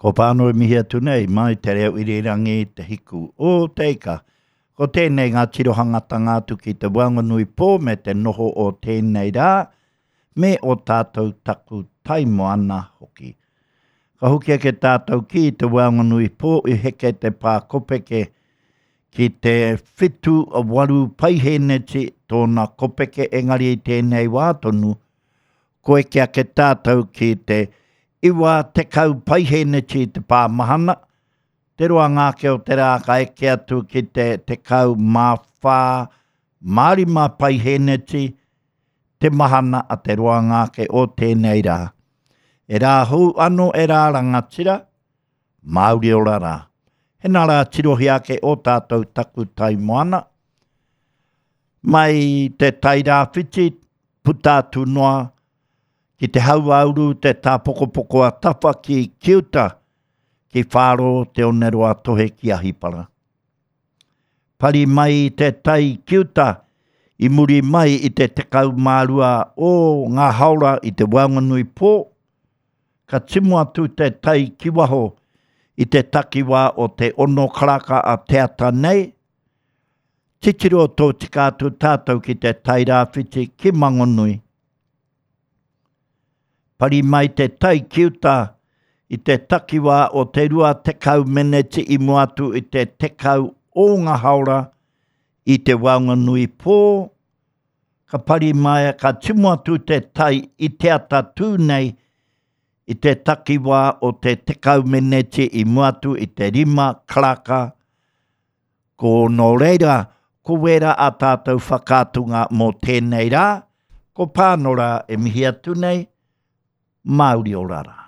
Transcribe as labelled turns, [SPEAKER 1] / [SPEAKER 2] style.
[SPEAKER 1] Ko Pānui mihi atu nei mai te reo irirangi Te Hiku o Te Ika. Ko tēnei ngā tirohangatanga atu ki te waenganui pō me te noho o tēnei rā me o tātou taku tai moana hoki. Ka hoki ake tātou ki te waenganui pō i heke te pā kopeke ki te 78 paihēneti tōna kopeke engari i tēnei wā tonu Ko eke ake tātou ki te 90 paihēneti i te pā mahana, te roanga ake o te rā ka eke atu ki te 14 mā 5 paihēneti te mahana a te roanga ake o tēnei rā. E rā hou ano e rā rangatira, Māori ora rā. Hena rā tirohia ake o tātou taku tai moana. Mai te tai rāwhiti, puta atu noa ki te hauāuru te tāpokopoko a Tawha ki Kiuta, ki Whāro te oneroa tohe ki Ahipara. Pari mai te tai Kiuta i muri mai i te 12 o ngā haora i te waenganui pō, ka timu atu te tai ki waho i te takiwā o te ono karaka a te ata nei, Titiro tōtika atu tātou ki te Tairāwhiti ki Mangonui. Pari mai te tai ki uta i te takiwā o te 20 meneti i mua atu i te 10 o ngā haora i te waenganui pō, ka pari mai, ka timu atu te tai i te ata tū nei i te takiwā o te 10 meneti i mua atu i te 5 karaka Ko nō reira, ko wērā ā tātou whakaatunga mō tēnei rā, ko Pānora e mihi atu nei, Māori ora rā.